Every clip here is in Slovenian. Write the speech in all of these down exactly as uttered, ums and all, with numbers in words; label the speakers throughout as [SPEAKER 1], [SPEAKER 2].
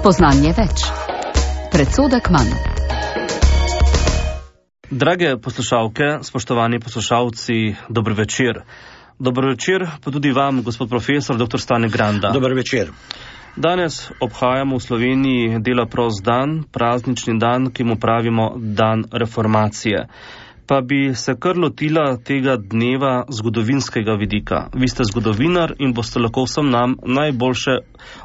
[SPEAKER 1] Spoznanje več. Predsodek manj.
[SPEAKER 2] Drage poslušalke, spoštovani poslušalci, dober večer. Dober večer pa tudi vam, gospod profesor, doktor Stane Granda.
[SPEAKER 3] Dober večer.
[SPEAKER 2] Danes obhajamo v Sloveniji dela prost dan, praznični dan, ki mu pravimo dan reformacije. Pa bi se kar lotila tega dneva zgodovinskega vidika. Vi ste zgodovinar in boste lahko vsem nam najboljše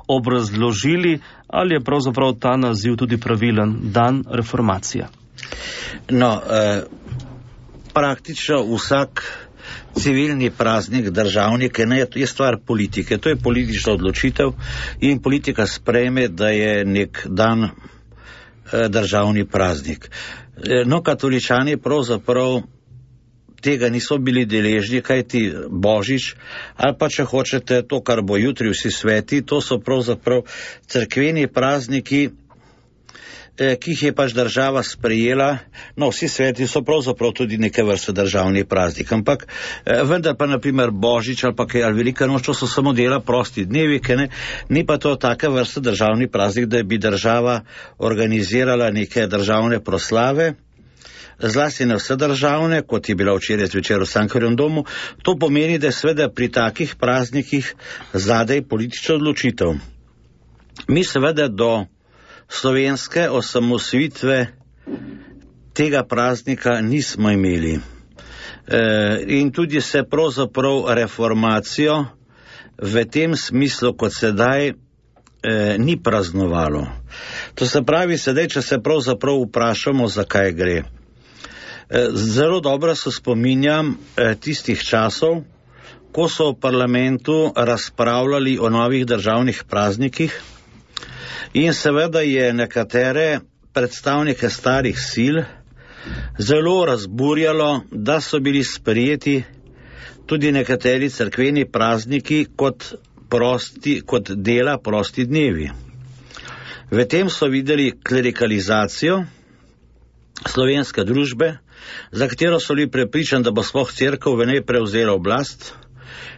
[SPEAKER 2] obrazložili, ali je pravzaprav ta naziv tudi pravilen, dan reformacije.
[SPEAKER 3] No, eh, praktično vsak civilni praznik državnike ne, je stvar politike. To je politična odločitev in politika sprejme, da je nek dan eh, državni praznik. No, katoličani pravzaprav tega niso bili deležni, kajti Božič, ali pa če hočete to, kar bo jutri vsi sveti, to so pravzaprav cerkveni prazniki, eh, ki jih je pač država sprejela. No, vsi sveti so pravzaprav tudi neke vrste državni praznik, ampak eh, vendar pa naprimer Božič ali pa kaj, ali Velika noč, to so samo dela prosti dnevi, ki ne, ni pa to taka vrsta državni praznik, da bi država organizirala neke državne proslave, zlasti ne vse državne, kot je bila včeraj zvečer v Cankarjevem domu. To pomeni, da je seveda pri takih praznikih zadaj politična odločitev. Mi seveda do slovenske osamosvojitve tega praznika nismo imeli. E, in tudi se pravzaprav reformacijo v tem smislu, kot sedaj, e, ni praznovalo. To se pravi, sedaj, če se pravzaprav vprašamo, zakaj gre. E, zelo dobro se spominjam e, tistih časov, ko so v parlamentu razpravljali o novih državnih praznikih, in seveda je nekatere predstavnike starih sil zelo razburjalo, da so bili sprejeti tudi nekateri cerkveni prazniki kot, prosti, kot dela prosti dnevi. V tem so videli klerikalizacijo slovenske družbe, za katero so bili prepričani, da bo sploh cerkev v njej prevzela oblast.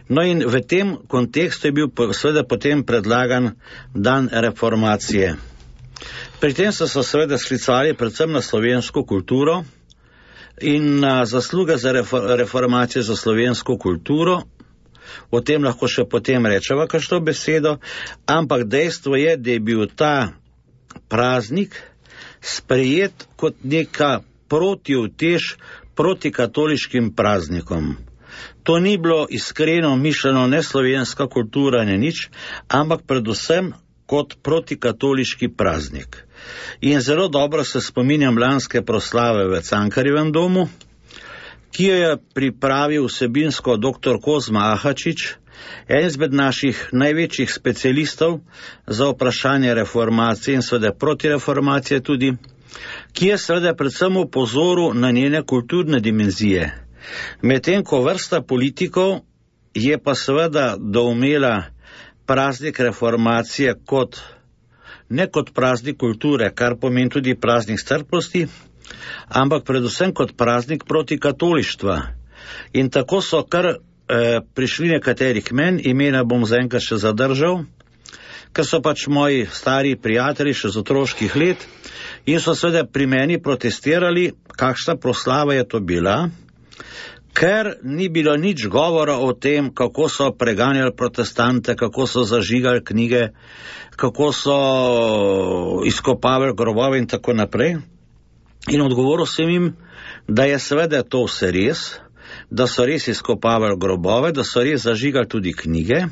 [SPEAKER 3] No in v tem kontekstu je bil seveda potem predlagan dan reformacije. Pri tem so se seveda sklicali predvsem na slovensko kulturo in na zasluge za reformacijo za slovensko kulturo. O tem lahko še potem rečeva kakšno besedo, ampak dejstvo je, da je bil ta praznik sprejet kot neka protiutež proti katoliškim praznikom. To ni bilo iskreno mišljeno ne slovenska kultura, ne nič, ampak predvsem kot protikatoliški praznik. In zelo dobro se spominjam lanske proslave v Cankarjevem domu, ki jo je pripravil vsebinsko doktor Kozma Ahačič, en izmed naših največjih specialistov za vprašanje reformacije in seveda protireformacije tudi, ki je seveda predvsem upozoril na njene kulturne dimenzije. Medtem ko vrsta politikov je pa seveda doumela praznik reformacije kot, ne kot praznik kulture, kar pomeni tudi praznik strpnosti, ampak predvsem kot praznik proti katolištva. In tako so kar eh, prišli nekateri k meni, imena bom zaenkrat še zadržal, ker so pač moji stari prijatelji še z otroških let in so seveda pri meni protestirali, kakšna proslava je to bila, ker ni bilo nič govora o tem, kako so preganjali protestante, kako so zažigali knjige, kako so izkopavali grobove in tako naprej. In odgovoril sem jim, da je seveda to vse res, da so res izkopavali grobove, da so res zažigali tudi knjige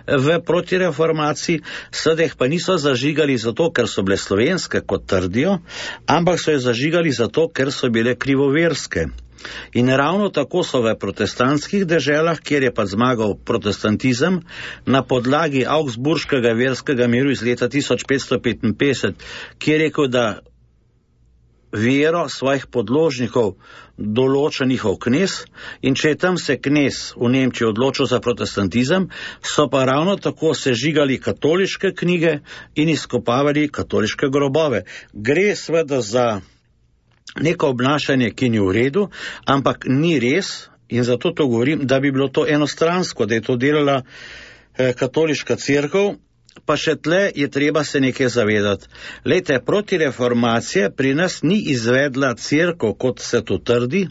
[SPEAKER 3] v protireformaciji, seveda jih pa niso zažigali zato, ker so bile slovenske, kot trdijo, ampak so jih zažigali zato, ker so bile krivoverske. In ravno tako so v protestantskih deželah, kjer je pa zmagal protestantizem, na podlagi Augsburškega verskega miru iz leta tisoč petsto petinpetdeset, ki je rekel, da vero svojih podložnikov določa njihov knez, in če je tam se knez v Nemčiji odločil za protestantizem, so pa ravno tako sežigali katoliške knjige in izkopavali katoliške grobove. Gre seveda za neko obnašanje, ki ni v redu, ampak ni res, in zato to govorim, da bi bilo to enostransko, da je to delala eh, katoliška cerkev pa še tle je treba se nekaj zavedati. Lejte, protireformacija pri nas ni izvedla cerkev, kot se to trdi,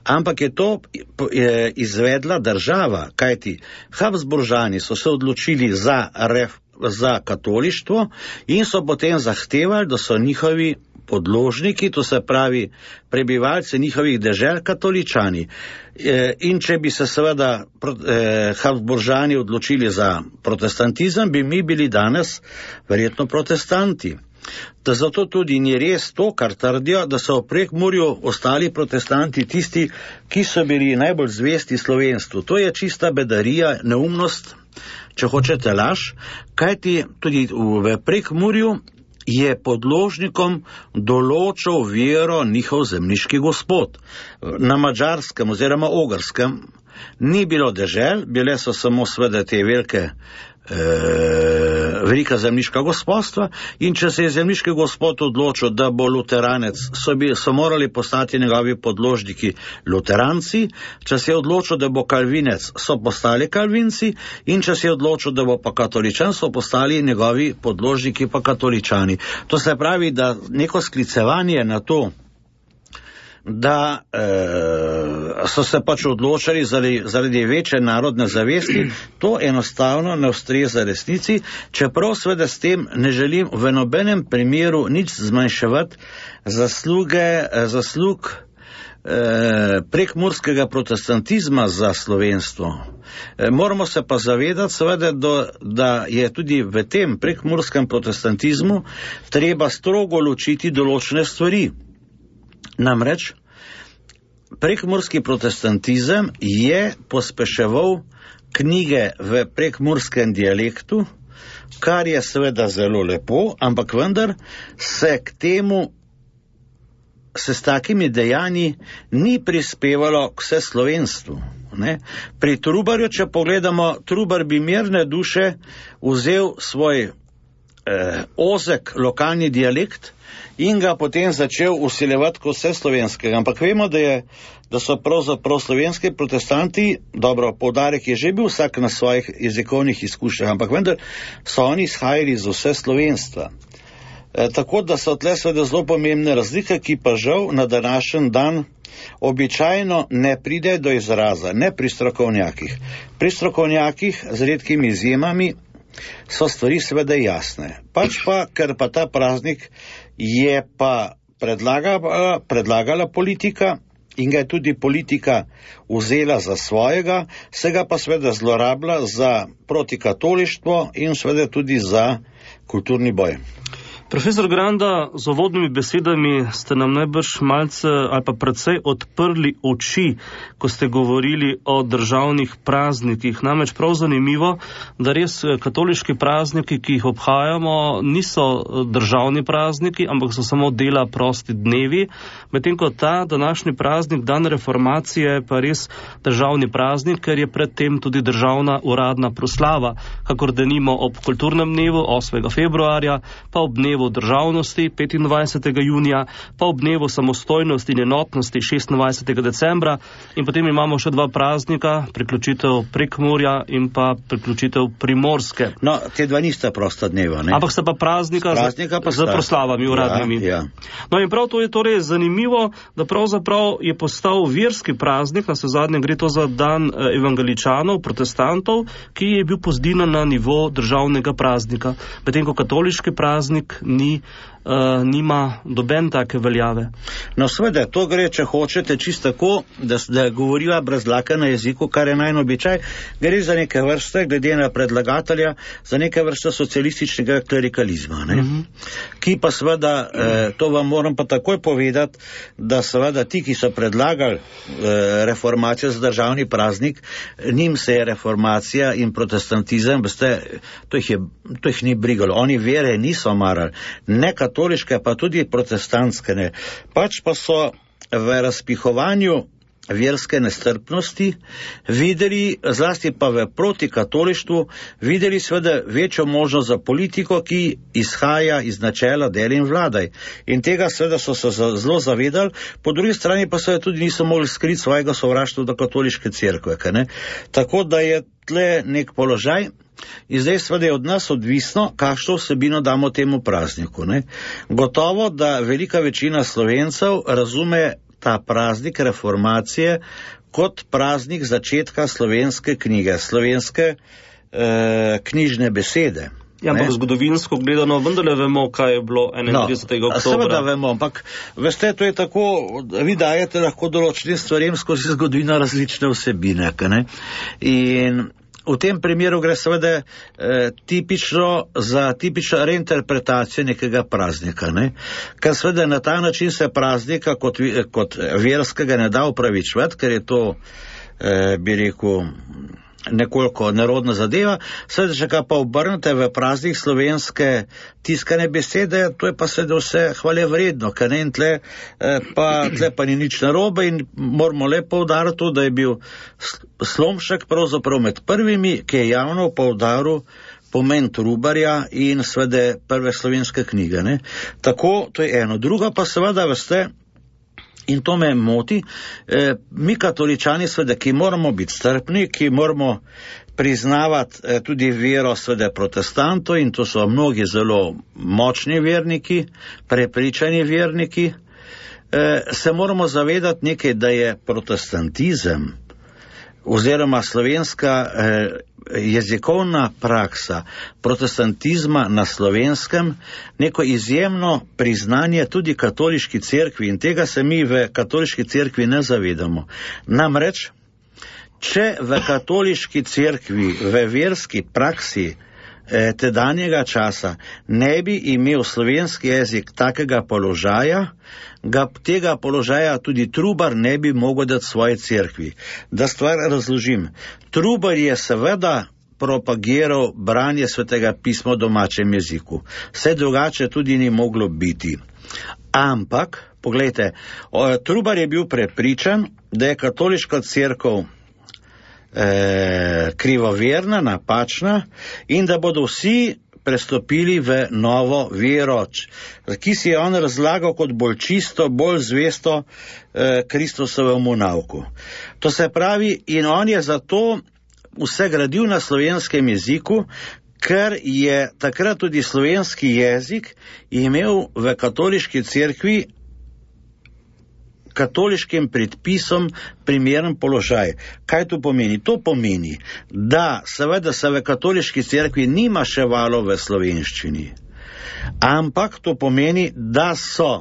[SPEAKER 3] ampak je to izvedla država, kajti Habsburžani so se odločili za, ref, za katolištvo in so potem zahtevali, da so njihovi podložniki, to se pravi prebivalci njihovih dežel, katoličani. In če bi se seveda Habsburžani odločili za protestantizem, bi mi bili danes verjetno protestanti. Da zato tudi ni res to, kar trdijo, da so v Prekmurju ostali protestanti tisti, ki so bili najbolj zvesti slovenstvu. To je čista bedarija, neumnost, če hočete laž, kajti tudi v Prekmurju je podložnikom določal vero njihov zemljiški gospod. Na Madžarskem oziroma Ogrskem ni bilo dežel, bile so samo sveda te velike velika zemljiška gospodstva in če se je zemljiški gospod odločil, da bo luteranec, so, bi, so morali postati njegovi podložniki luteranci, če se je odločil, da bo kalvinec, so postali kalvinci in če se je odločil, da bo pa katoličan, so postali njegovi podložniki pa katoličani. To se pravi, da neko sklicevanje na to, da e, so se pač odločali zaradi, zaradi večje narodne zavesti, to enostavno ne ustreza resnici, čeprav seveda s tem ne želim v nobenem primeru nič zmanjševati zasluge, zaslug e, prekmurskega protestantizma za slovenstvo. E, moramo se pa zavedati seveda, do, da je tudi v tem prekmurskem protestantizmu treba strogo ločiti določene stvari. Namreč, prekmurski protestantizem je pospeševal knjige v prekmurskem dialektu, kar je seveda zelo lepo, ampak vendar se k temu, se s takimi dejanji ni prispevalo k vseslovenstvu. Ne? Pri Trubarju, če pogledamo, Trubar bi mirne duše vzel svoj eh, ozek lokalni dialekt in ga potem začel usiljevati kot vse slovenskega. Ampak vemo, da, je, da so pravzaprav slovenski protestanti, dobro, poudarek je že bil vsak na svojih jezikovnih izkušnjah, ampak vendar so oni izhajali iz vse slovenstva. E, tako da so tle seveda zelo pomembne razlike, ki pa žal na današnji dan običajno ne pride do izraza, ne pri strokovnjakih. Pri strokovnjakih, z redkimi izjemami, so stvari seveda jasne. Pač pa, ker pa ta praznik je pa predlagala, predlagala politika in ga je tudi politika vzela za svojega, se ga pa seveda zlorabila za protikatolištvo in seveda tudi za kulturni boj.
[SPEAKER 2] Profesor Granda, z uvodnimi besedami ste nam najbrž malce ali pa precej odprli oči, ko ste govorili o državnih praznikih. Namreč prav zanimivo, da res katoliški prazniki, ki jih obhajamo, niso državni prazniki, ampak so samo dela prosti dnevi, medtem ko ta današnji praznik, dan reformacije, pa res državni praznik, ker je predtem tudi državna uradna proslava, kakor denimo ob kulturnem dnevu osmega februarja, pa ob dnevu državnosti petindvajsetega junija, pa ob dnevu samostojnosti in enotnosti šestindvajsetega decembra in potem imamo še dva praznika, priključitev Prekmurja in pa priključitev Primorske.
[SPEAKER 3] No, te dva nista prosta dneva, ne?
[SPEAKER 2] Ampak sta pa praznika, praznika pa z, z proslavami uradnimi.
[SPEAKER 3] Ja, ja.
[SPEAKER 2] No in prav to je torej zanimivo, da pravzaprav je postal verski praznik, na zadnje gre to za dan evangeličanov, protestantov, ki je bil pozdinan na nivo državnega praznika, medtem ko katoliški praznik ni, uh, nima doben take veljave.
[SPEAKER 3] No seveda, to gre, če hočete, čisto tako, da, da govoriva brez dlake na jeziku, kar je najn običaj, gre za neke vrste, glede na predlagatelja, za neke vrste socialističnega klerikalizma, ne? Mm-hmm. Ki pa seveda, eh, to vam moram pa takoj povedati, da seveda ti, ki so predlagali eh, reformacijo za državni praznik, njim se je reformacija in protestantizem, veste, to jih, je, to jih ni brigalo, oni vere niso marali, ne katoliške, pa tudi protestantske ne. Pač pa so v razpihovanju verske nestrpnosti, videli, zlasti pa v protikatolištvu, videli seveda večjo možnost za politiko, ki izhaja iz načela deli in vladaj. In tega seveda so se zelo zavedali, po drugi strani pa seveda tudi niso mogli skriti svojega sovraštva do katoliške cerkve. Tako da je tle nek položaj. In zdaj seveda je od nas odvisno, kakšno vsebino damo temu prazniku. Ne? Gotovo, da velika večina Slovencev razume ta praznik reformacije kot praznik začetka slovenske knjige, slovenske eh, knjižne besede.
[SPEAKER 2] Ja, ampak zgodovinsko gledano vendarle vemo, kaj je bilo enaintridesetega
[SPEAKER 3] No,
[SPEAKER 2] oktobra.
[SPEAKER 3] seveda vemo, ampak veste, to je tako, vi dajete lahko določenim stvarem skozi zgodovino različne vsebine. Ne? In v tem primeru gre seveda eh, tipično za tipično reinterpretacijo nekega praznika, ne? Ker seveda na ta način se praznika kot, kot verskega ne da upravičevati, ker je to, eh, bi rekel, nekoliko nerodna zadeva, seveda, če ga pa obrnete v praznik slovenske tiskane besede, to je pa seveda vse hvale vredno, ker ne, in tle, eh, pa, tle pa ni nič narobe in moramo le poudariti to, da je bil Slomšek pravzaprav med prvimi, ki je javno poudaril pomen Trubarja in seveda prve slovenske knjige. Ne. Tako, to je eno. Druga pa seveda, veste, in to me moti, eh, mi katoličani seveda, ki moramo biti strpni, ki moramo priznavati eh, tudi vero seveda protestantov, in to so mnogi zelo močni verniki, prepričani verniki, eh, se moramo zavedati nekaj, da je protestantizem oziroma slovenska eh, jezikovna praksa protestantizma na slovenskem neko izjemno priznanje tudi katoliški cerkvi, in tega se mi v katoliški cerkvi ne zavedamo. Namreč, če v katoliški cerkvi, v verski praksi eh, tedanjega časa ne bi imel slovenski jezik takega položaja, ga tega položaja tudi Trubar ne bi mogel dati svoje cerkvi. Da stvar razložim. Trubar je seveda propagiral branje svetega pisma v domačem jeziku. Vse drugače tudi ni moglo biti. Ampak, poglejte, Trubar je bil prepričan, da je katoliška cerkev eh, krivoverna, napačna in da bodo vsi prestopili v novo vero, ki si je on razlagal kot bolj čisto, bolj zvesto eh, Kristusovemu nauku. To se pravi, in on je zato vse gradil na slovenskem jeziku, ker je takrat tudi slovenski jezik imel v katoliški cerkvi katoliškim predpisom primeren položaj. Kaj to pomeni? To pomeni, da seveda se v katoliški cerkvi ni maševalo v slovenščini, ampak to pomeni, da so,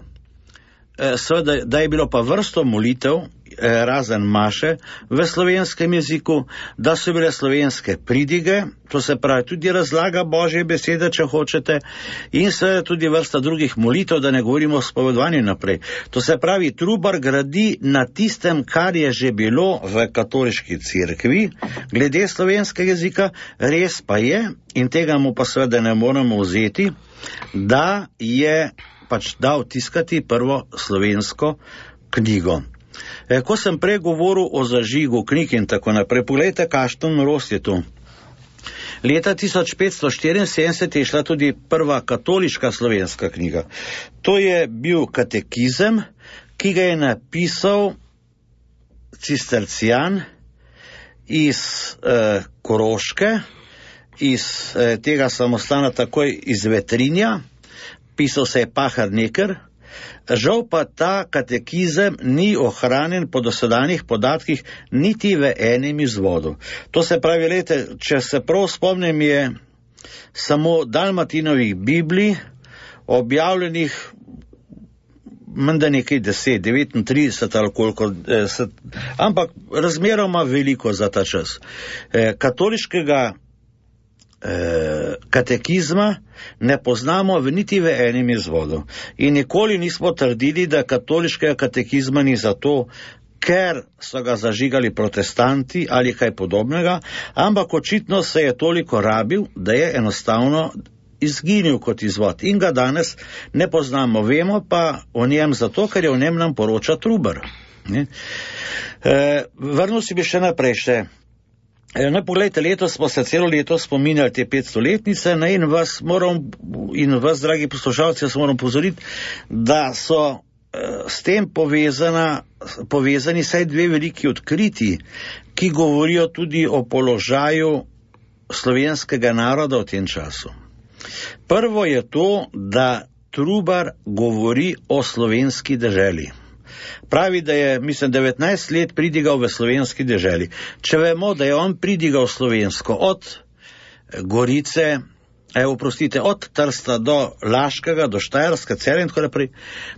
[SPEAKER 3] seveda, da je bilo pa vrsto molitev, razen maše, v slovenskem jeziku, da so bile slovenske pridige, to se pravi tudi razlaga Božje besede, če hočete, in seveda tudi vrsta drugih molitev, da ne govorimo o spovedovanju naprej. To se pravi, Trubar gradi na tistem, kar je že bilo v katoliški cerkvi, glede slovenskega jezika, res pa je, in tega mu pa seveda ne moremo vzeti, da je pač dal tiskati prvo slovensko knjigo. E, ko sem prej govoril o zažigu knjig in tako naprej, pogledajte, kakšna norost je to. Leta tisoč petsto štiriinsedemdeset je šla tudi prva katoliška slovenska knjiga. To je bil katekizem, ki ga je napisal cistercijan iz eh, Koroške, iz eh, tega samostana takoj iz Vetrinja, pisal se je Pahar Neker. Žal pa ta katekizem ni ohranjen po dosedanjih podatkih niti v enem izvodu. To se pravi, lete, če se prav spomnim, je samo Dalmatinovih Biblij objavljenih menda nekaj deset, devetintrideset ali koliko, eh, ampak razmeroma veliko za ta čas. Eh, katoliškega eh, katekizma ne poznamo v niti v enem izvodu. In nikoli nismo trdili, da katoliškega katekizma ni zato, ker so ga zažigali protestanti ali kaj podobnega, ampak očitno se je toliko rabil, da je enostavno izginil kot izvod in ga danes ne poznamo. Vemo pa o njem zato, ker je o njem nam poroča Trubar. Ne? E, vrnil si bi še naprej še. E, no, pogledajte, letos smo se celo leto spominjali te petstoletnice, ne, in vas moram, in vas, dragi poslušalci, jaz moram pozoriti, da so e, s tem povezana, povezani saj dve veliki odkriti, ki govorijo tudi o položaju slovenskega naroda v tem času. Prvo je to, da Trubar govori o slovenski deželi. Pravi, da je, mislim, devetnajst let pridigal v slovenski deželi. Če vemo, da je on pridigal slovensko od Gorice, evo, prostite, od Trsta do Laškega, do Štajerska, Celja in tako naprej,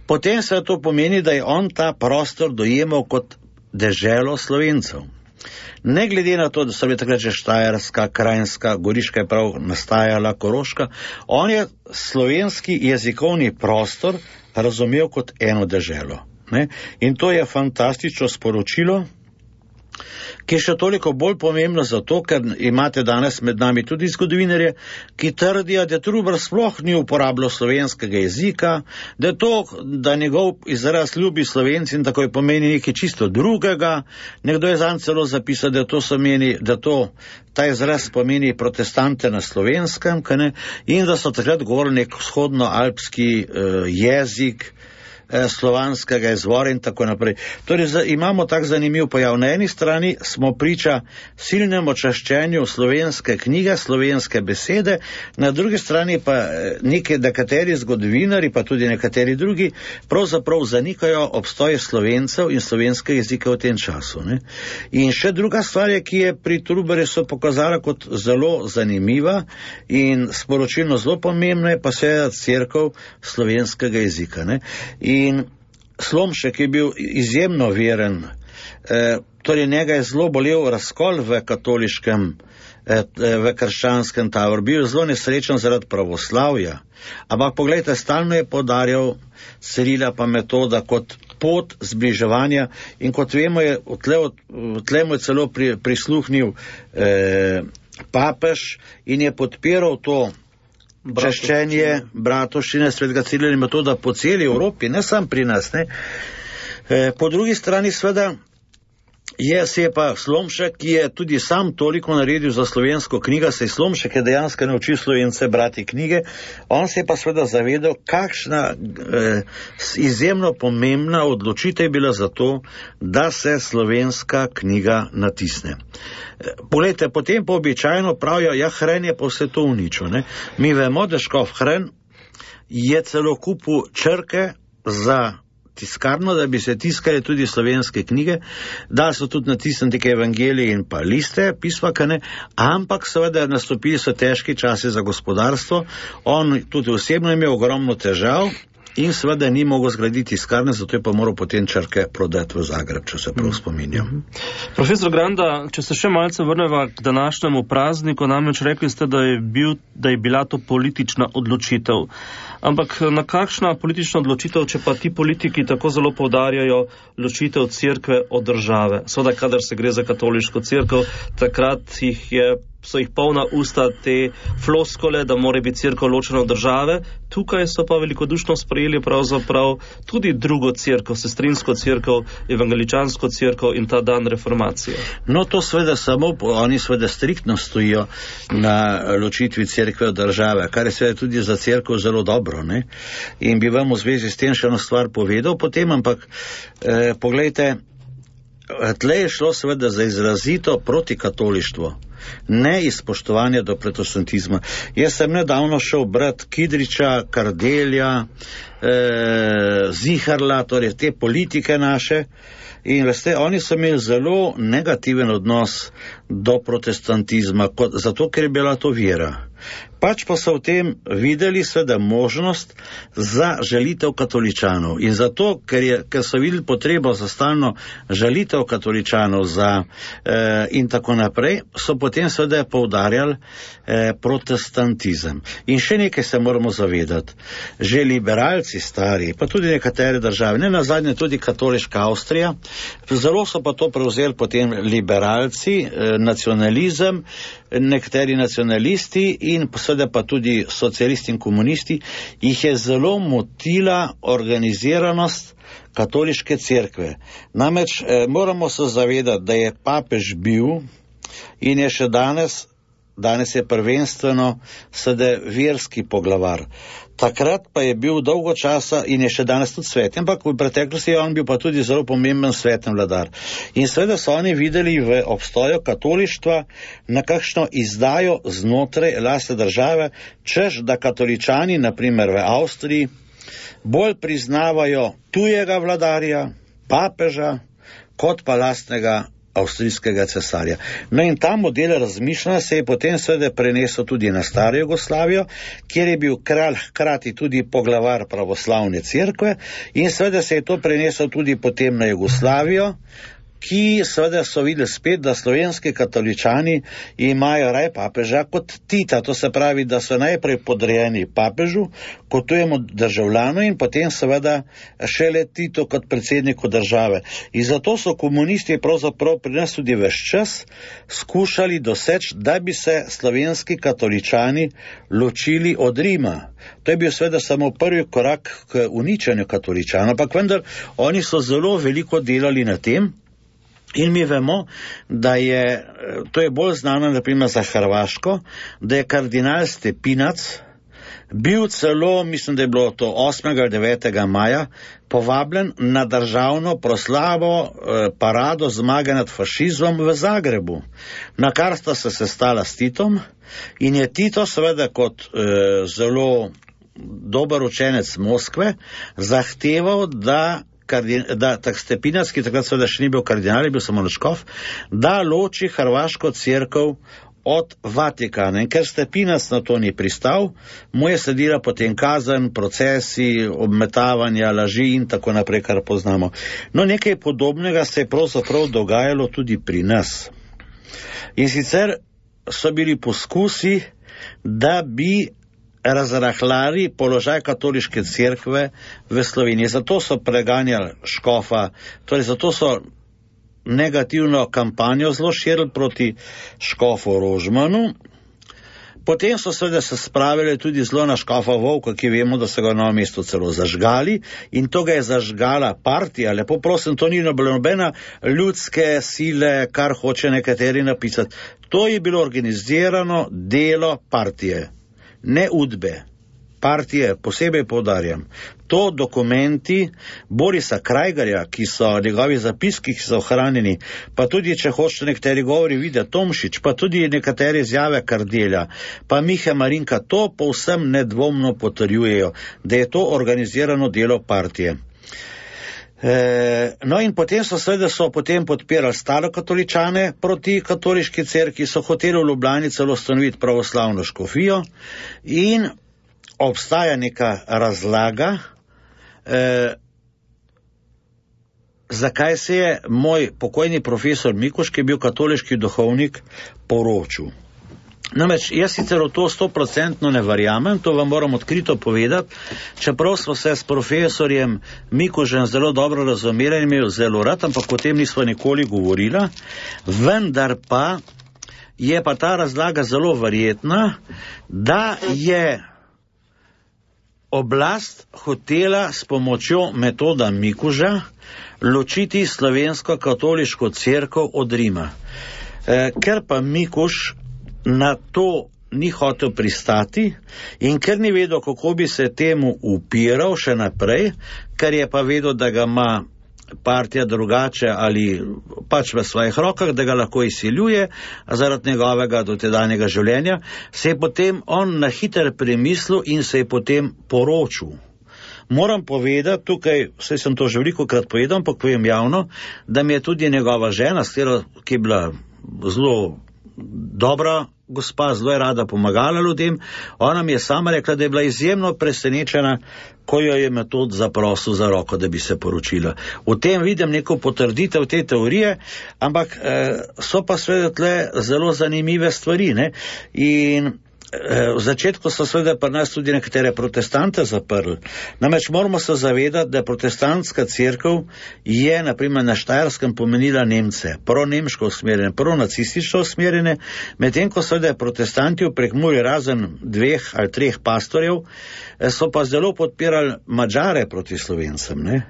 [SPEAKER 3] potem se to pomeni, da je on ta prostor dojemal kot deželo Slovencev. Ne glede na to, da so bili takrat že Štajerska, Krajinska, Goriška je prav nastajala, Koroška, on je slovenski jezikovni prostor razumel kot eno deželo. Ne? In to je fantastično sporočilo, ki je še toliko bolj pomembno zato, ker imate danes med nami tudi zgodovinarje, ki trdijo, da Trubar sploh ni uporabljal slovenskega jezika, da to, da njegov izraz ljubi Slovenci in tako je pomeni nekaj čisto drugega. Nekdo je zanj celo zapisal, da to, meni, da to ta izraz pomeni protestante na slovenskem, ne? In da so takrat govorili nek vzhodnoalpski uh, jezik, slovanskega izvora in tako naprej. Torej, z, imamo tak zanimiv pojav. Na eni strani smo priča silnemu čaščenju slovenske knjige, slovenske besede, na drugi strani pa neki nekateri zgodovinari, pa tudi nekateri drugi, pravzaprav zanikajo obstoj Slovencev in slovenskega jezika v tem času. Ne? In še druga stvar je, ki je pri Trubarju so pokazala kot zelo zanimiva in sporočilno zelo pomembna, je pa seveda cerkev slovenskega jezika. Ne? In In Slomšek je bil izjemno veren, e, torej njega je zelo bolel razkol v katoliškem, e, v krščanskem taboru, bil zelo nesrečen zaradi pravoslavja, ampak pogledajte, stalno je podarjal Cirila pa Metoda kot pot zbliževanja in kot vemo, je v tle, v tle mu je celo pri, prisluhnil e, papež in je podpiral to čaščenje bratovščine svetega Cirila in Metoda po celi Evropi, ne sam pri nas. Ne. E, po drugi strani sveda je se je pa Slomšek, ki je tudi sam toliko naredil za slovensko knjigo, se je Slomšek je dejansko naučil Slovence brati knjige, on se je pa sveda zavedal, kakšna eh, izjemno pomembna odločitev je bila za to, da se slovenska knjiga natisne. Poglejte, potem pa običajno pravijo, ja, Hren je pa vse to uničil. Ne? Mi vemo, da škof Hren je celo kupil črke za tiskarno, da bi se tiskali tudi slovenske knjige, da so tudi natisniti neke evangelije in pa liste, pisma, ne, ampak seveda nastopili so težki časi za gospodarstvo, on tudi osebno imel ogromno težav in seveda ni mogel zgraditi tiskarne, zato je pa moral potem črke prodati v Zagreb, če se prav spominjam.
[SPEAKER 2] Mm-hmm. Profesor Granda, če se še malce vrneva k današnjemu prazniku, namreč rekli ste, da je, bil, da je bila to politična odločitev. Ampak na kakšna politična odločitev, če pa ti politiki tako zelo poudarjajo ločitev cerkve od države? Seveda, kadar se gre za katoliško cerkev, takrat jih je, so jih polna usta te floskole, da mora biti cerkev ločena od države. Tukaj so pa velikodušno sprejeli pravzaprav tudi drugo cerkev, sestrinsko cerkev, evangeličansko cerkev in ta dan reformacije.
[SPEAKER 3] No, to seveda samo, oni seveda striktno stojijo na ločitvi cerkve od države, kar je seveda tudi za cerkev zelo dobro. Ne? In bi vam v zvezi s tem še eno stvar povedal potem, ampak eh, poglejte, tle je šlo seveda za izrazito protikatolištvo, ne izpoštovanje do protestantizma. Jaz sem nedavno šel brat Kidriča, Kardelja, eh, Ziharla, torej te politike naše, in veste, oni so imeli zelo negativen odnos do protestantizma, kot, zato ker je bila to vera. Pač pa so v tem videli seveda možnost za žalitev katoličanov in zato, ker, je, ker so videli potrebo za stalno žalitev katoličanov za, eh, in tako naprej, so potem seveda poudarjali eh, protestantizem. In še nekaj se moramo zavedati. Že liberalci Nemci stari, pa tudi nekatere države, ne nazadnje tudi katoliška Avstrija, zelo so pa to prevzeli potem liberalci, nacionalizem, nekateri nacionalisti in seveda pa tudi socialisti in komunisti, jih je zelo motila organiziranost katoliške cerkve. Namreč eh, moramo se zavedati, da je papež bil in je še danes, danes je prvenstveno sedaj verski poglavar. Takrat pa je bil dolgo časa in je še danes tudi svet, ampak v preteklosti je on bil pa tudi zelo pomemben sveten vladar. In seveda so oni videli v obstoju katolištva nekakšno izdajo znotraj lastne države, češ da katoličani, naprimer v Avstriji, bolj priznavajo tujega vladarja, papeža, kot pa lastnega avstrijskega cesarja. No in ta model razmišljanja se je potem seveda prenesel tudi na staro Jugoslavijo, kjer je bil kralj hkrati tudi poglavar pravoslavne cerkve in seveda se je to prenesel tudi potem na Jugoslavijo, ki seveda so videli spet, da slovenski katoličani imajo raj papeža kot Tita, to se pravi, da so najprej podrejeni papežu, kot tujemu državljanu in potem seveda šele Tito kot predsedniku države. In zato so komunisti pravzaprav pri nas tudi ves čas skušali doseči, da bi se slovenski katoličani ločili od Rima. To je bil seveda samo prvi korak k uničenju katoličanov, ampak vendar oni so zelo veliko delali na tem. In mi vemo, da je, to je bolj znano naprimer za Hrvaško, da je kardinal Stepinac bil celo, mislim, da je bilo to osmega ali devetega maja, povabljen na državno proslavo eh, parado zmage nad fašizmom v Zagrebu, na kar sta se sestala s Titom in je Tito seveda kot eh, zelo dober učenec Moskve zahteval, da da tak Stepinac, ki takrat seveda še ni bil kardinal, je bil samo škof, da loči hrvaško cerkev od Vatikana. In ker Stepinac na to ni pristal, mu je sledila potem kazen, procesi, obmetavanja, laži in tako naprej, kar poznamo. No, nekaj podobnega se je pravzaprav dogajalo tudi pri nas. In sicer so bili poskusi, da bi razrahljali položaj katoliške cerkve v Sloveniji. Zato so preganjali škofa, torej zato so negativno kampanjo zelo širili proti škofu Rožmanu. Potem so seveda se spravili tudi zelo na škofa Vovka, ki vemo, da so ga na mestu celo zažgali in to ga je zažgala partija. Lepo prosim, to ni nobena ljudske sile, kar hoče nekateri napisati. To je bilo organizirano delo partije. Ne udbe, partije, posebej poudarjam. To dokumenti Borisa Krajgarja, ki so njegovi zapiski, ki so ohranjeni, pa tudi, če hočete nekateri govori, Vida Tomšič, pa tudi nekatere izjave Kardelja, pa Mihe Marinka, to povsem nedvomno potrjujejo, da je to organizirano delo partije. E, no in potem so seveda so potem podpirali starokatoličane proti katoliški cerkvi, so hoteli v Ljubljani celo ustanoviti pravoslavno škofijo in obstaja neka razlaga, e, zakaj se je moj pokojni profesor Mikuš, ki je bil katoliški duhovnik, poročil. Namreč, jaz sicer v to stoprocentno ne verjamem, to vam moram odkrito povedati, čeprav smo se s profesorjem Mikužem zelo dobro razumeli in imel zelo rad, ampak o tem nismo nikoli govorila, vendar pa je pa ta razlaga zelo verjetna, da je oblast hotela s pomočjo metoda Mikuža ločiti slovensko katoliško cerkev od Rima. E, ker pa Mikuž na to ni hotel pristati in ker ni vedel, kako bi se temu upiral še naprej, ker je pa vedel, da ga ima partija drugače ali pač v svojih rokah, da ga lahko izsiljuje zaradi njegovega dotedanjega življenja, se je potem on na hiter premislil in se je potem poročil. Moram povedati, tukaj, vse sem to že veliko krat povedal, ampak povem javno, da mi je tudi njegova žena, ki je bila zelo dobra gospa, zelo je rada pomagala ljudem, ona mi je sama rekla, da je bila izjemno presenečena, ko jo je metod zaprosil za roko, da bi se poročila. V tem vidim neko potrditev te teorije, ampak eh, so pa seveda tle zelo zanimive stvari, ne? In v začetku so seveda pri nas tudi nekatere protestante zaprli. Namreč moramo se zavedati, da protestantska cerkev je naprimer na Štajerskem pomenila Nemce, pro-nemško usmerjene, pro-nacistično usmerjene, medtem ko seveda protestanti v Prekmurju razen dveh ali treh pastorjev so pa zelo podpirali Madžare proti Slovencem. Ne?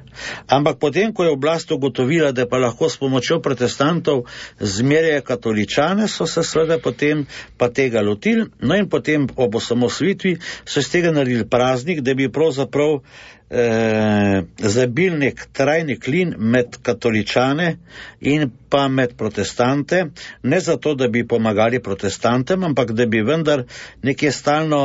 [SPEAKER 3] Ampak potem, ko je oblast ugotovila, da pa lahko s pomočjo protestantov zmerjajo katoličane, so se seveda potem pa tega lotili, no in potem ob osamosvojitvi so iz tega naredili praznik, da bi pravzaprav eh, zabil nek trajni klin med katoličane in pa med protestante, ne zato, da bi pomagali protestantem, ampak da bi vendar nekje stalno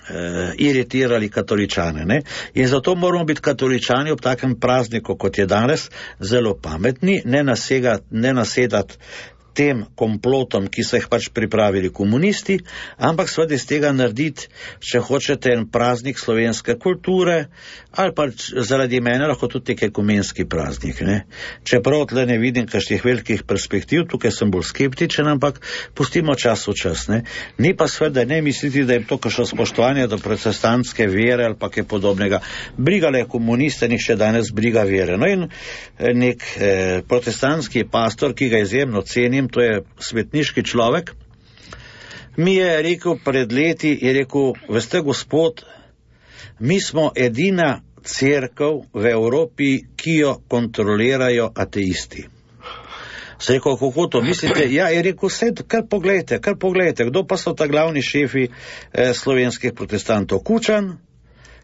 [SPEAKER 3] eh, iritirali katoličane. Ne? In zato moramo biti katoličani ob takem prazniku, kot je danes, zelo pametni, ne, nasega, ne nasedati tem komplotom, ki so jih pač pripravili komunisti, ampak seveda iz tega narediti, če hočete, en praznik slovenske kulture, ali pa zaradi mene lahko tudi nek ekumenski praznik. Ne? Čeprav tle ne vidim kakšnih velikih perspektiv, tukaj sem bolj skeptičen, ampak pustimo čas v čas. Ne? Ni pa seveda ne misliti, da je to kakšno spoštovanje do protestantske vere ali pa kaj podobnega. Brigale komuniste, njih še danes briga vere. No in nek eh, protestantski pastor, ki ga izjemno cenim, to je svetniški človek, mi je rekel pred leti, je rekel, veste gospod, mi smo edina cerkev v Evropi, ki jo kontrolirajo ateisti. Se rekel, kako to mislite? Ja, je rekel, sed, kar pogledajte, kar pogledajte, kdo pa so ta glavni šefi eh, slovenskih protestantov? Kučan,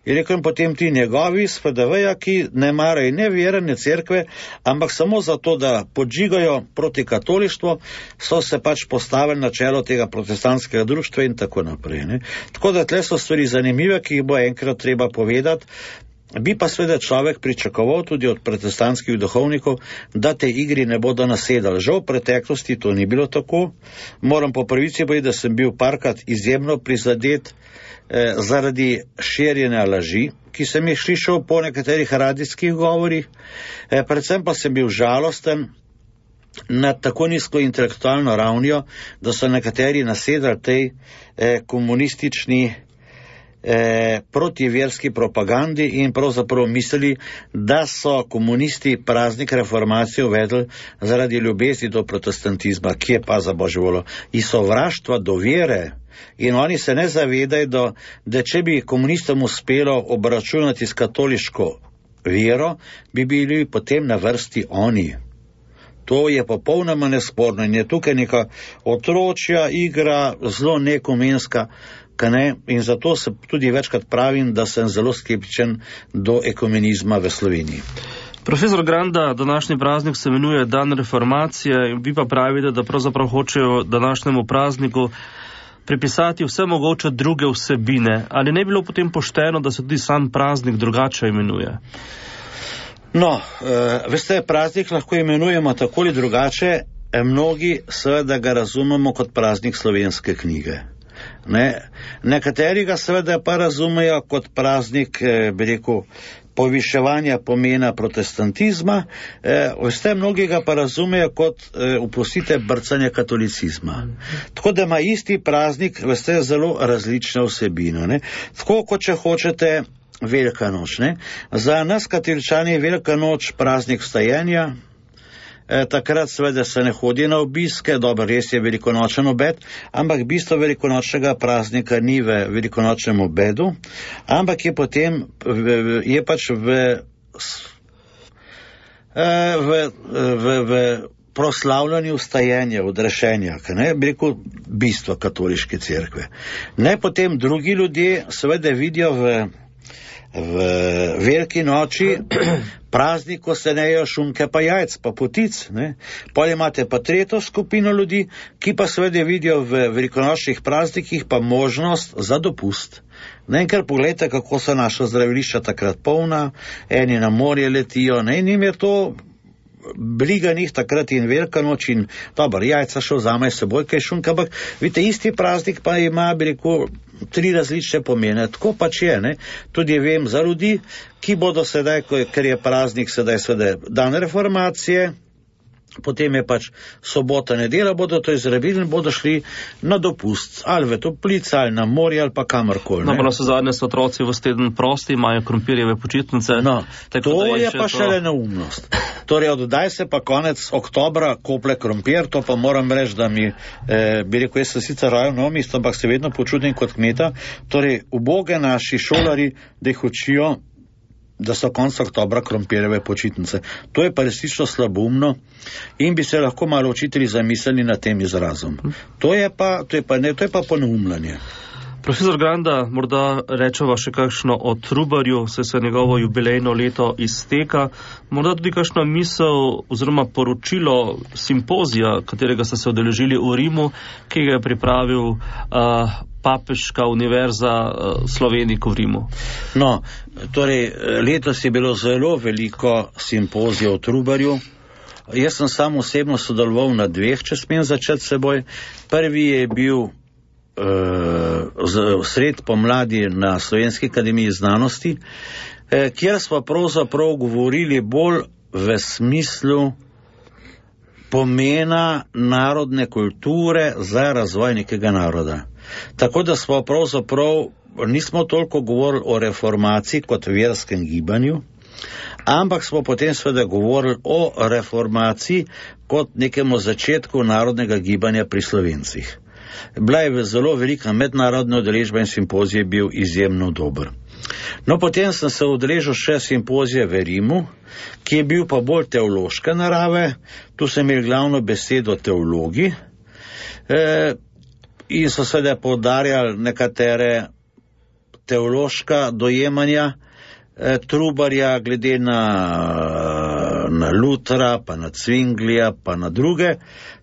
[SPEAKER 3] je rekel, in potem ti njegovi s F D V-ja, ki ne marajo ne vere, ne cerkve, ampak samo zato, da podžigajo proti katolištvu, so se pač postavili na čelo tega protestantskega društva in tako naprej. Ne? Tako da tle so stvari zanimive, ki jih bo enkrat treba povedati. Bi pa seveda človek pričakoval tudi od protestantskih duhovnikov, da te igri ne bodo nasedali. Žal v preteklosti to ni bilo tako. Moram po pravici povedati, da sem bil parkrat izjemno prizadet eh, zaradi širjenja laži, ki sem jih slišal po nekaterih radijskih govorih. Eh, predvsem pa sem bil žalosten nad tako nizko intelektualno ravnjo, da so nekateri nasedali tej eh, komunistični Eh, protiverski propagandi in pravzaprav mislili, da so komunisti praznik reformacije uvedli zaradi ljubezni do protestantizma, ki je pa za božjo voljo iz sovraštva do vere. In oni se ne zavedajo, da, da če bi komunistom uspelo obračunati s katoliško vero, bi bili potem na vrsti oni. To je popolnoma nesporno in je tukaj neka otročja igra, zelo neekumenska, ne? In zato se tudi večkrat pravim, da sem zelo skeptičen do ekumenizma v Sloveniji.
[SPEAKER 2] Profesor Granda, današnji praznik se imenuje Dan reformacije, vi pa pravite, da pravzaprav hočejo današnjemu prazniku pripisati vse mogoče druge vsebine. Ali ne bi bilo potem pošteno, da se tudi sam praznik drugače imenuje?
[SPEAKER 3] No, e, veste, praznik lahko imenujemo tako ali drugače, e, mnogi seveda ga razumemo kot praznik slovenske knjige. Ne, nekateri ga seveda pa razumejo kot praznik, eh, bi rekel, poviševanja pomena protestantizma, eh, veste, mnogi ga pa razumejo kot, eh, upustite, brcanje katolicizma. Tako da ima isti praznik, veste, zelo različne vsebine. Ne. Tako kot če hočete Velika noč. Ne. Za nas katoličani je Velika noč praznik vstajenja. E, takrat seveda se ne hodi na obiske, dobro, res je velikonočen obed, ampak bistvo velikonočnega praznika ni v velikonočnem obedu, ampak je potem, v, je pač v, v, v, v proslavljanju vstajenja, odrešenja, ne, bi rekel, bistvo katoliške cerkve. Ne, potem drugi ljudje seveda vidijo v v veliki noči praznik, ko se nejo šunke pa jajc, pa potic. Potem imate pa tretjo skupino ljudi, ki pa seveda vidijo v velikonočnih praznikih pa možnost za dopust. Ne, in ker pogledajte, kako so naša zdravilišča takrat polna, eni na morje letijo, ne, in jim je to briga njih takrat in velika noč in dobro, jajca še vzame seboj kaj šunka, ampak vidite, isti praznik pa ima, bi rekel, tri različne pomene, tako pač je, ne. Tudi vem za ljudi, ki bodo sedaj, ker je praznik sedaj sedaj dan reformacije, potem je pač sobota, nedelja, bodo to izrabili in bodo šli na dopust, ali v toplice, ali na morje, ali pa kamorkoli.
[SPEAKER 2] No, pa na vse zadnje so otroci v teden prosti, imajo krompirjeve počitnice.
[SPEAKER 3] No, to je, je pa
[SPEAKER 2] to...
[SPEAKER 3] šele neumnost. Torej, oddaj se pa konec oktobra kople krompir, to pa moram reči, da mi, eh, bi rekel, jaz sem sicer rojal v Novo mesto, ampak se vedno počutim kot kmeta. Torej, uboge naši šolari, da jih učijo, da so konec oktobra krompirjeve počitnice. To je pa resnično slaboumno in bi se lahko malo učitelji zamislili nad tem izrazom. To je pa, to je pa, ne, to je pa poneumljanje.
[SPEAKER 2] Profesor Granda, morda rečeva še kakšno o Trubarju, se se njegovo jubilejno leto izteka, morda tudi kakšno misel oziroma poročilo simpozija, katerega ste se udeležili v Rimu, ki ga je pripravil uh, Papeška univerza uh, Slovenik v Rimu.
[SPEAKER 3] No, torej, letos je bilo zelo veliko simpozijev o Trubarju. Jaz sem sam osebno sodeloval na dveh, če smem začeti seboj. Prvi je bil Uh, sred pomladi na Slovenski akademiji znanosti, eh, kjer smo pravzaprav govorili bolj v smislu pomena narodne kulture za razvoj nekega naroda. Tako da smo pravzaprav nismo toliko govorili o reformaciji kot verskem gibanju, ampak smo potem seveda govorili o reformaciji kot nekemu začetku narodnega gibanja pri Slovencih. Bila je zelo velika mednarodna udeležba in simpozij je bil izjemno dober. No, potem sem se udeležil še simpozije v Rimu, ki je bil pa bolj teološke narave. Tu sem imel glavno besedo teologi e, in so seveda poudarjali nekatere teološka dojemanja e, Trubarja glede na, na Lutra, pa na Zwinglija, pa na druge.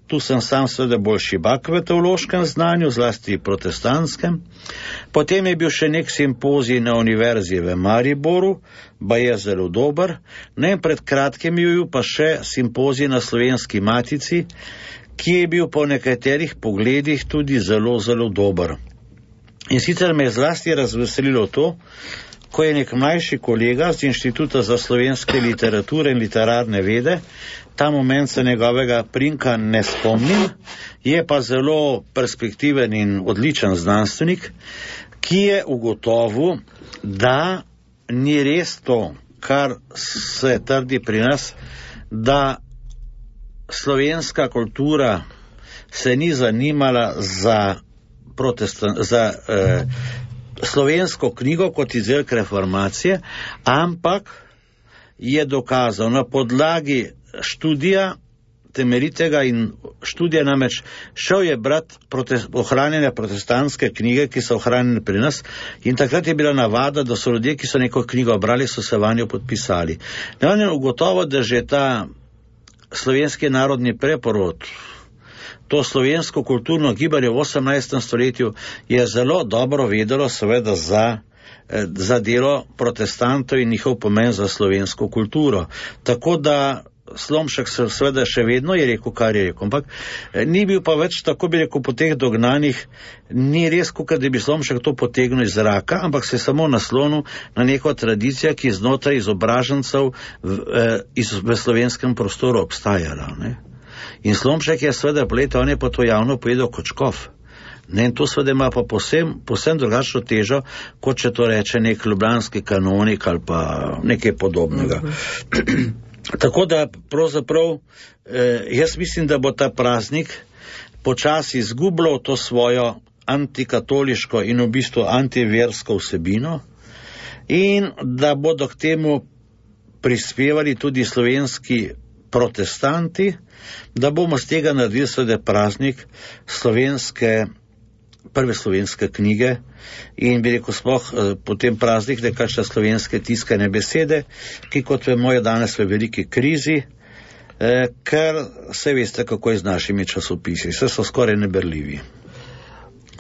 [SPEAKER 3] Tu sem sam seveda bolj šibak v teološkem znanju, zlasti protestantskem. Potem je bil še nek simpozij na univerzi v Mariboru, ba je zelo dober. Ne, pred kratkim je bil pa še simpozij na Slovenski matici, ki je bil po nekaterih pogledih tudi zelo, zelo dober. In sicer me je zlasti razveselilo to, ko je nek mlajši kolega z Inštituta za slovenske literature in literarne vede, ta moment se njegovega prinka ne spomnim, je pa zelo perspektiven in odličen znanstvenik, ki je ugotovil, da ni res to, kar se trdi pri nas, da slovenska kultura se ni zanimala za, protestan, za eh, slovensko knjigo kot izdelek reformacije, ampak je dokazal na podlagi študija temeljitega in študija, namreč šel je brat protest, ohranjene protestantske knjige, ki so ohranjene pri nas, in takrat je bila navada, da so ljudje, ki so neko knjigo brali, so se vanjo podpisali. Ne, on je ugotovil, da že ta slovenski narodni preporod, to slovensko kulturno gibanje v osemnajstem stoletju je zelo dobro vedelo seveda za za delo protestantov in njihov pomen za slovensko kulturo. Tako da Slomšek seveda še vedno je rekel, kar je rekel, ampak ni bil pa več, tako bi rekel, po teh dognanjih, ni res, kot da bi Slomšek to potegnil iz zraka, ampak se samo naslonil na neko tradicijo, ki znotraj izobražencev v, iz, v slovenskem prostoru obstajala. Ne? In Slomšek je seveda poleti, on je pa to javno povedal kot škof. Ne, in to seveda ima pa posem, posem drugačno težo, kot če to reče nek ljubljanski kanonik ali pa nekaj podobnega. Uh-huh. Tako da pravzaprav eh, jaz mislim, da bo ta praznik počasi izgubljal to svojo antikatoliško in v bistvu antiversko vsebino in da bodo k temu prispevali tudi slovenski protestanti, da bomo z tega naredili seveda praznik slovenske prve slovenske knjige in bi rekel sploh eh, potem praznik nekakšne slovenske tiskane besede, ki kot vemo je danes v veliki krizi, eh, ker se veste, kako je z našimi časopisi, vse so skoraj neberljivi.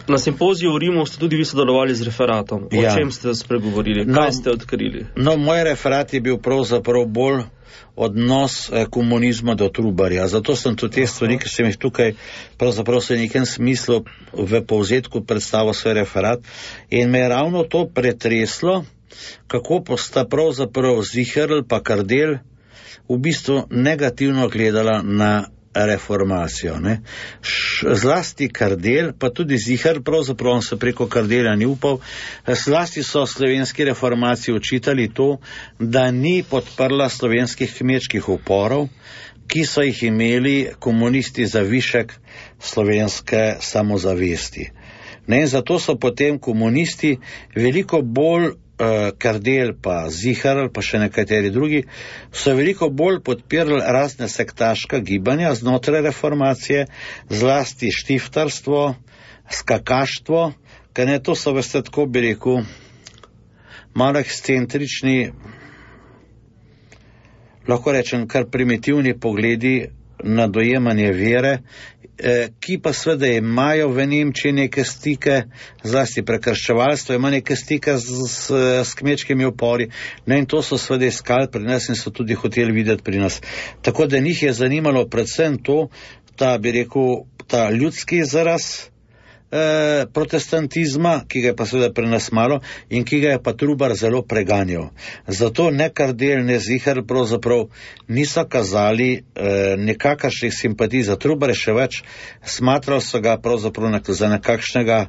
[SPEAKER 2] Na simpoziju v Rimu ste tudi vi sodelovali z referatom. O
[SPEAKER 3] ja.
[SPEAKER 2] čem ste spregovorili? Kaj no, ste odkrili?
[SPEAKER 3] No, moj referat je bil pravzaprav bolj odnos eh, komunizma do Trubarja. Zato sem tudi te stvari, ki sem jih tukaj pravzaprav v nekem smislu v povzetku predstavil svoj referat. In me je ravno to pretreslo, kako sta pravzaprav Ziherl pa Kardelj v bistvu negativno gledala na reformacijo. Ne. Zlasti Kardelj, pa tudi Ziher, pravzaprav on se preko Kardelja ni upal, zlasti so slovenski reformaciji očitali to, da ni podprla slovenskih kmečkih uporov, ki so jih imeli komunisti za višek slovenske samozavesti. Ne, in zato so potem komunisti veliko bolj, eh, Kardelj pa Ziher, pa še nekateri drugi, so veliko bolj podpirali razne sektaška gibanja znotraj reformacije, zlasti štiftarstvo, skakaštvo, ker ne, to so, veste, tako bi rekel, malo ekscentrični, lahko rečem, kar primitivni pogledi na dojemanje vere, eh, ki pa seveda imajo v Nemčiji neke stike, zlasti prekrščevalstvo ima neke stike z, z, z kmečkimi upori, no, in to so seveda iskali pri nas in so tudi hoteli videti pri nas. Tako da njih je zanimalo predvsem to, ta, bi rekel, ta ljudski izraz eh, protestantizma, ki ga je pa seveda pri nas malo in ki ga je pa Trubar zelo preganjal. Zato ne Kardelj, ne Ziher pravzaprav niso kazali eh, nekakšnih simpatij za Trubar, še več, smatral so ga pravzaprav za nekakšnega,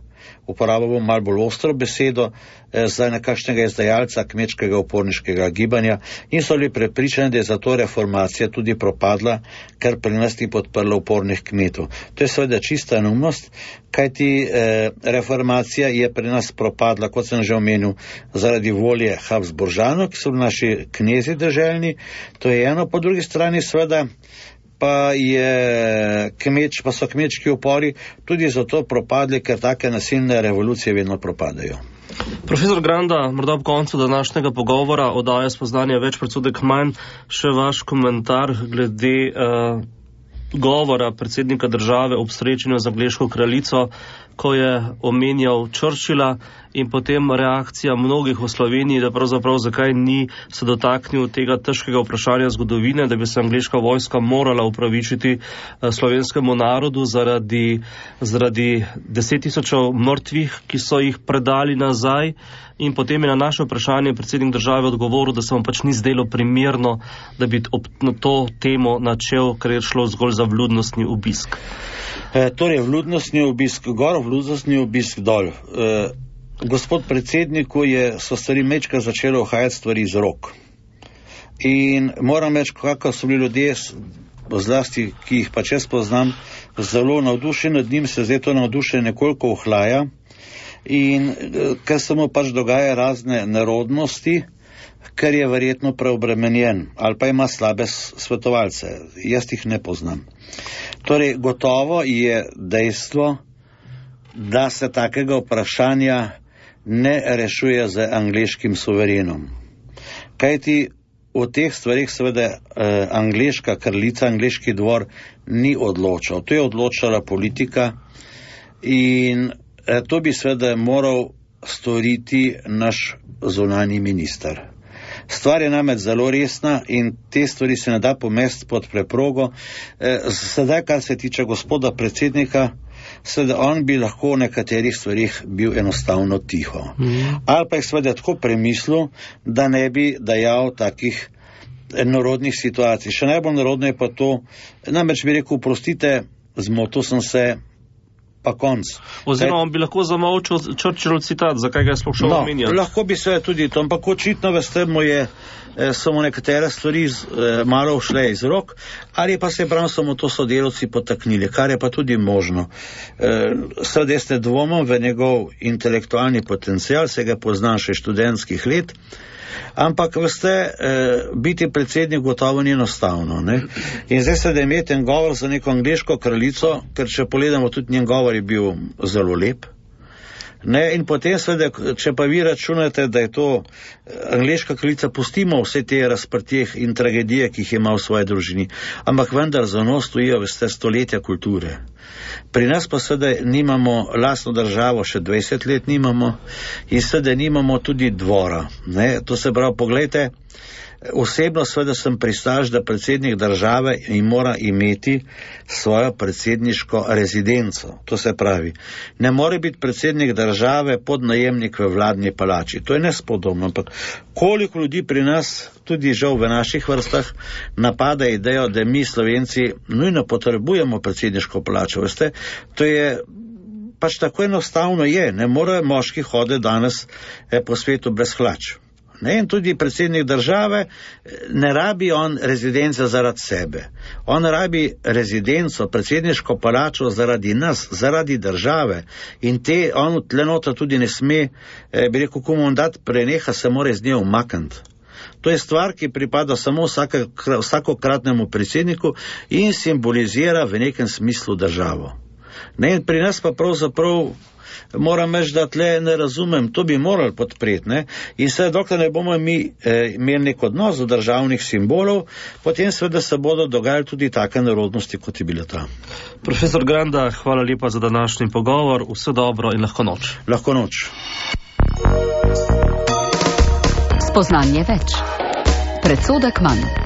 [SPEAKER 3] uporabljamo malo bolj ostro besedo, eh, za nekakšnega izdajalca kmečkega uporniškega gibanja in so bili prepričani, da je zato reformacija tudi propadla, ker pri nas ni podprla upornih kmetov. To je seveda čista neumnost, kajti eh, reformacija je pri nas propadla, kot sem že omenil, zaradi volje Habsburžanov, ki so naši knezi deželni, to je eno, po drugi strani seveda pa, je kmeč, pa so kmečki upori tudi zato propadli, ker take nasilne revolucije vedno propadajo.
[SPEAKER 2] Profesor Granda, morda ob koncu današnjega pogovora oddaja spoznanja več, predsodek manj, še vaš komentar glede uh, govora predsednika države ob srečanju z angleško kraljico, ko je omenjal Churchilla, in potem reakcija mnogih v Sloveniji, da pravzaprav zakaj ni se dotaknil tega težkega vprašanja zgodovine, da bi se angleška vojska morala upravičiti slovenskemu narodu zaradi, zaradi deset tisočev mrtvih, ki so jih predali nazaj. In potem je na naše vprašanje predsednik države odgovoril, da se mu pač ni zdelo primerno, da bi ob to temo načel, ker je šlo zgolj za vljudnostni obisk.
[SPEAKER 3] E, torej, vljudnostni obisk gor, vljudnostni obisk dol. E, gospod predsedniku je, so stvari mečka začelo uhajati stvari iz rok. In moram reči, kako so bili ljudje, zlasti, ki jih pač jaz poznam, zelo navdušeni nad njim, se zdaj to navdušenje nekoliko ohlaja. In ker se mu pač dogaja razne nerodnosti, ker je verjetno preobremenjen ali pa ima slabe svetovalce. Jaz jih ne poznam. Torej, gotovo je dejstvo, da se takega vprašanja ne rešuje z angleškim suverenom. Kajti v teh stvarih seveda eh, angleška kraljica, angleški dvor ni odločal. To je odločala politika in eh, to bi seveda moral storiti naš zunanji minister. Stvar je namreč zelo resna in te stvari se ne da pomesti pod preprogo. Eh, sedaj, kar se tiče gospoda predsednika, seveda on bi lahko v nekaterih stvarih bil enostavno tiho. Mm. Ali pa je seveda tako premislil, da ne bi dajal takih narodnih situacij. Še najbolj narodno je pa to, namreč bi rekel, prostite, zmotil sem se, pa konc.
[SPEAKER 2] Oziroma on bi lahko zamolčal Churchillov citat, zakaj ga je sploh šel
[SPEAKER 3] no,
[SPEAKER 2] omenjati.
[SPEAKER 3] Lahko bi se tudi to, ampak očitno veste, mu je eh, samo nekatere stvari z, eh, malo šle iz rok, ali pa se prav samo to sodelavci potaknili, kar je pa tudi možno. Eh, Sedaj ste dvomom v njegov intelektualni potencial, se ga poznam še študentskih let, ampak veste, eh, biti predsednik gotovo ni enostavno. Ne? In zdaj se da imeti en govor za neko angleško kraljico, ker če pogledamo, tudi njen govor je bil zelo lep. Ne? In potem seveda, če pa vi računate, da je to angleška kraljica, pustimo vse te razprtije in tragedije, ki jih ima v svoji družini, ampak vendar za njo stojijo, veste, stoletja kulture. Pri nas pa seveda nimamo lastno državo, še dvajset let nimamo in seveda nimamo tudi dvora. Ne? To se pravi, pogledajte, Osebno seveda sem pristaš, da predsednik države mora imeti svojo predsedniško rezidenco. To se pravi, ne more biti predsednik države podnajemnik v vladni palači. To je nespodobno, ampak koliko ljudi pri nas, tudi žal v naših vrstah, napada idejo, da mi Slovenci nujno potrebujemo predsedniško palačo. Veste, to je pač tako enostavno je. Ne more moški hoditi danes eh, po svetu brez hlač. Ne, in tudi predsednik države ne rabi on rezidenca zaradi sebe. On rabi rezidenco, predsedniško palačo zaradi nas, zaradi države. In te on tlenota tudi ne sme, eh, bi rekel, ko mandat preneha, se mora z nje umakniti. To je stvar, ki pripada samo vsake, vsakokratnemu predsedniku in simbolizira v nekem smislu državo. Ne, in pri nas pa pravzaprav moram reči, da tle ne razumem, to bi morali podpreti, ne? In seveda, dokler ne bomo mi eh, imeli nek odnos do državnih simbolov, potem seveda se bodo dogajali tudi take nerodnosti, kot je bila ta.
[SPEAKER 2] Profesor Granda, hvala lepa za današnji pogovor, vse dobro in lahko noč.
[SPEAKER 3] Lahko noč.
[SPEAKER 1] Spoznanje več. Predsodek manj.